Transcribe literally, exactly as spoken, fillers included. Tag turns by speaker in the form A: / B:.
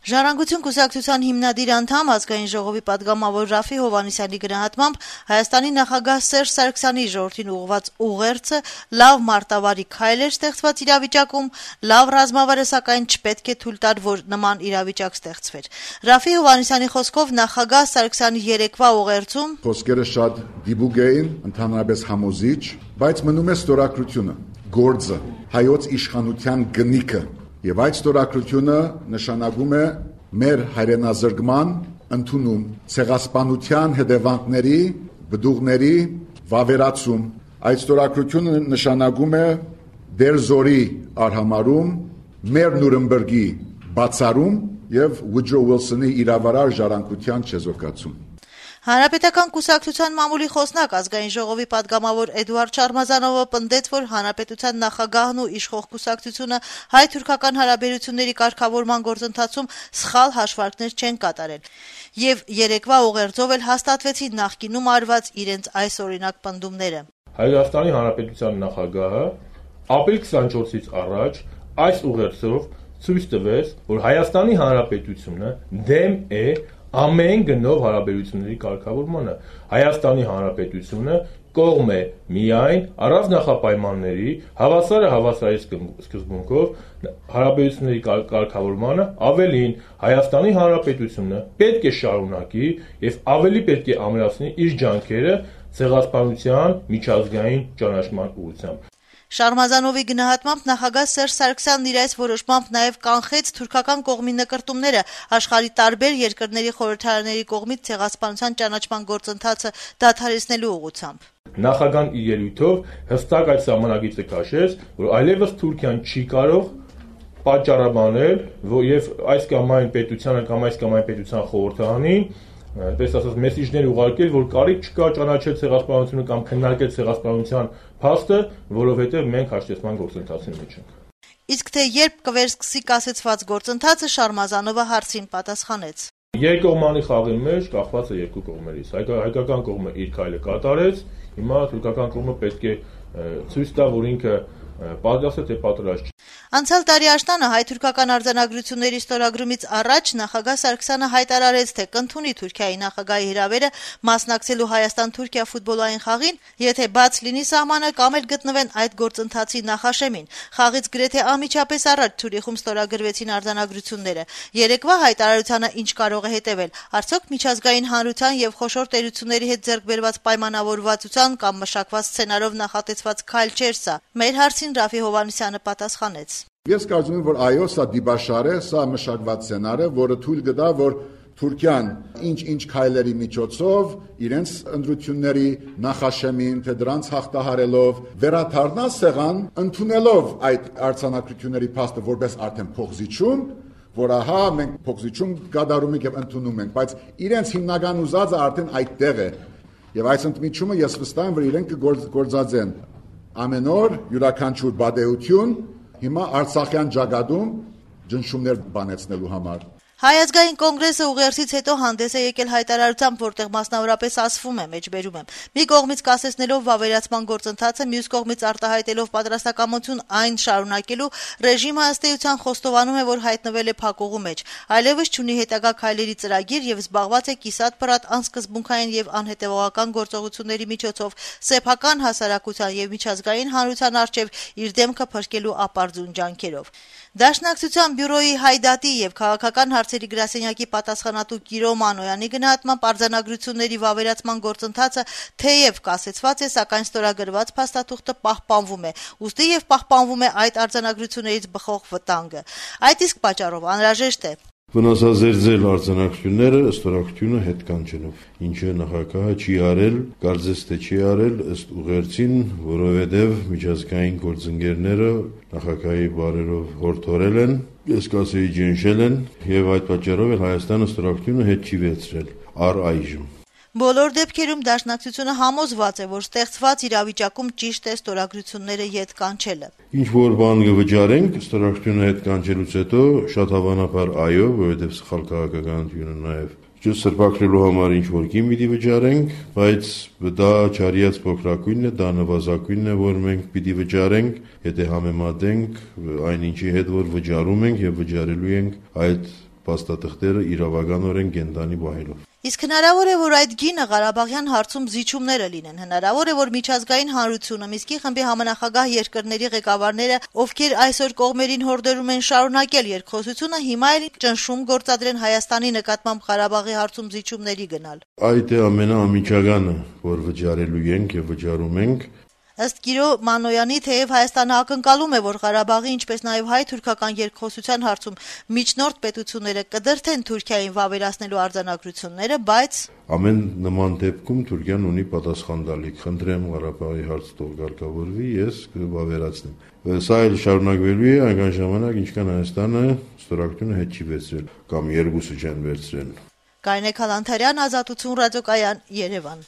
A: Ժառանգություն կուսակցության հիմնադիր անդամ ազգային ժողովի պատգամավոր Ռաֆի Հովհաննիսյանի գնահատմամբ Հայաստանի նախագահ Սերժ Սարգսյանի ժողովրդին ուղղված ուղերձը լավ մարտավարի քայլ էր ստեղծված իրավիճակում, լավ ռազմավարը սակայն չպետք է թույլ տար, որ նման իրավիճակ ստեղծվեր։ Ռաֆի Հովհաննիսյանի խոսքով նախագահ Սարգսյանի երեկվա ուղերձում
B: խոսքերը շատ դիպուկ էին, ընդհանրապես համոզիչ, բայց մնում է ստորագրությունը, գործը, հայոց իշխանության գնիքը։ Եվ այդ ստորագրությունը նշանակում է մեր հայրենազրկման ընդունում, ցեղասպանության հետևանքների, բդուղների վավերացում։ Այդ ստորագրությունը նշանակում է դեր զորի արհամարում, մեր Նյուրնբերգի բացառում եւ Վուջո Ուիլսոնի իրավարար ժառանգության չեզոքացում։
A: Հանրապետական կուսակցության մամուլի խոսնակ ազգային ժողովի պատգամավոր Էդուարդ Շարմազանովը պնդեց, որ հանրապետության նախագահն ու իշխող կուսակցությունը հայ-թուրքական հարաբերությունների կարգավորման գործընթացում սխալ հաշվարկներ չեն կատարել, եւ երեկվա ուղերձով էլ հաստատվեցին նախկինում արված իրենց այսօրինակ պնդումները։
C: Հայաստանի հանրապետության նախագահը ապրիլ քսանչորսից առաջ այս ուղերձով ցույց տվեց, որ Հայաստանի հանրապետությունը դեմ է ամեն գնով հարաբերությունների կարգավորմանը։ Հայաստանի հանրապետությունը կողմ է միայն առանց նախապայմանների հավասարը հավասարի սկզբունքով հարաբերությունների կարգավորմանը, ավելին Հայաստանի հանրապետությունը պետք է շարունակի եւ ավելի պետք է ամրացնի իր ջանքերը ցեղասպանության միջազգային ճանաչման ուղղությամբ։
A: Շարմազանովի գնահատմամբ նախագահ Սերժ Սարգսյանն իր այս որոշմամբ նաև կանխեց թուրքական կողմի նկրտումները աշխարհի տարբեր երկրների խորհրդարանների կողմից ցեղասպանության ճանաչման գործընթացը դադարեցնելու ուղղությամբ։
C: Նախագահան իր ելույթով հստակ այդ սահմանագիծը քաշեց, որ այլևս Թուրքիան չի կարող պատճառաբանել, որ եւ այս կամ այն պետությանը կամ այս կամ այն պետության խորհրդարանին Պես ասած մեսիջներ ուղարկել, որ կարիք չկա ճանաչել ցեղասպանությունը կամ քննարկել ցեղասպանության փաստը, որովհետև մենք հաշտեցման գործընթացի մեջ ենք։
A: Իսկ թե երբ կվերսկսի կասեցված գործընթացը, Շարմազանովը հարցին պատասխանեց։
C: Երկկողմանի խաղի մեջ կախված է երկու կողմերից։ Հայկական կողմը իր քայլը կատարեց, հիմա թուրքական կողմը պետք է ցույց տա, որ ինքը պատրաստ է թե պատրաստ չէ։
A: Անցյալ տարի աշնանը հայ-թուրքական արձանագրությունների ստորագրումից առաջ նախագահ Սարգսյանը հայտարարեց, թե կընդունի Թուրքիայի նախագահի հրավերը մասնակցելու Հայաստան-Թուրքիա ֆուտբոլային խաղին, եթե բաց լինի սահմանը կամ էլ գտնվեն այդ գործընթացի նախաշեմին։ Խաղից գրեթե անմիջապես առաջ Ցյուրիխում ստորագրվեցին արձանագրությունները։ Երեկվա հայտարարությանը ինչ կարող է հետևել։ Արդյոք միջազգային հանրության եւ խոշոր տերությունների հետ ձեռք բերված պայմանավորվածության կամ մշակված սցենարով նախատեսված քայլ չէր սա։ Մեր հարցին Ռաֆի Հովհաննիսյանը պատասխանեց։
B: Ես կարծում եմ, որ այո, սա դիբաշար է, սա մշակված սցենար է, որը թույլ կտա, որ Թուրքիան ինչ-ինչ քայլերի միջոցով իրենց ընտրությունների նախաշեմին, թե դրանց հաղթահարելով վերադառնա սեղան, ընդունելով այդ արձանագրությունների փաստը որպես արդեն փոխզիջում, որ ահա մենք փոխզիջում կատարում ենք եւ ընդունում ենք, բայց իրենց հիմնական ուզածը արդեն այդտեղ է։ Եվ այս ընդմիջումը ես վստահ եմ, որ իրենք կգործածեն ամեն օր յուրաքանչյուր բադեություն հիմա Արցախյան ջագադում ջնշումներ բանեցնելու համար։
A: Հայ ազգային կոնգրեսը ուղերձից հետո հանդես է եկել հայտարարությամբ, որտեղ մասնավորապես ասվում է, մեջբերում եմ. մի կողմից կասեցնելով վավերացման գործընթացը, մյուս կողմից արտահայտելով պատրաստակամություն այն շարունակելու, ռեժիմը ըստ էության խոստովանում է, որ հայտնվել է փակուղու մեջ, այլևս չունի հետագա քայլերի ծրագիր եւ զբաղված է կիսատ-պռատ անսկզբունքային եւ անհետեւողական գործողությունների միջոցով սեփական հասարակության եւ միջազգային հանրության առջեւ իր դեմքը փրկելու ապարդյուն ջանքերով։ Դաշնակցության բյուրոյի Հայդատի եւ քաղաքական հարցերի գրասենյակի պատասխանատու Կիրո Մանոյանի գնահատմամբ արձանագրությունների վավերացման գործընթացը թեև կասեցված է, սակայն ստորագրված փաստաթուղթը պահպանվում է, ուստի եւ պահպանվում է այդ արձանագրություններից բխող վտանգը։ Այդ իսկ պատճառով անհրաժեշտ է
D: վնասազերծել արձանագրությունները ստորագրությունը հետ կանչելով, ինչը նախագահը չի արել, կարծես թե չի արել ըստ ուղերձին, որովհետև միջազգային գործընկերները նախագահի բարերով հորդորել են, ես կասեի ջնշել են, եւ այդ պատճառով էլ Հայաստանը ստորագրությունը հետ չի վերցրել առ այժմ։
A: Բոլոր դեպքերում դաշնակցությունը համոզված է, որ ստեղծված իրավիճակում ճիշտ է ստորագրությունները ետ կանչելը։
D: Ինչ որ բան կվճարենք ստորագրությունը հետ կանչելուց հետո շատ հավանաբար այո, որովհետև սխալ քաղաքականությունը նաև սրբակրելու համար ինչ որ կին պիտի վճարենք, բայց դա չարիած փոքրակույնն է, դա նվազագույնն է, որ մենք պիտի վճարենք, եթե համեմատենք այն ինչի հետ որ վճարում ենք եւ վճարելու ենք այդ փաստաթղթերը իրավականորեն կենտանի պահելով։
A: Իսկ հնարավոր է, որ այդ գինը Ղարաբաղյան հարցում զիջումները լինեն, հնարավոր է, որ միջազգային հանրությունը, Միսկի խմբի համանախագահ երկրների ղեկավարները, ովքեր այսօր կողմերին հորդորում են շարունակել երկխոսությունը, հիմա էլ ճնշում գործադրեն Հայաստանի նկատմամբ Ղարաբաղի հարցում զիջումների գնալ։
D: Այդ է ամենաամիջականը, որ վճարելու ենք եւ վճարում ենք։
A: Ըստ Գիրո Մանոյանի, թեև Հայաստանը ակնկալում է, որ Ղարաբաղի, ինչպես նաև հայ-թուրքական երկխոսության հարցում միջնորդ պետությունները կդրթեն Թուրքիային վավերացնելու արձանագրությունները, բայց
D: ամեն նման դեպքում Թուրքիան ունի պատասխան տալիք։ Խնդրեմ Ղարաբաղի հարցը թող կարգավորվի, ես կվավերացնեմ։ Սա էլ շարունակվելու է այնքան ժամանակ, ինչքան Հայաստանը ստորագրությունը հետ չի վերցրել կամ երկուսը չեն վերցրել։
A: Կարինե Քալանթարյան, Ազատություն ռադիոկայան, Երևան։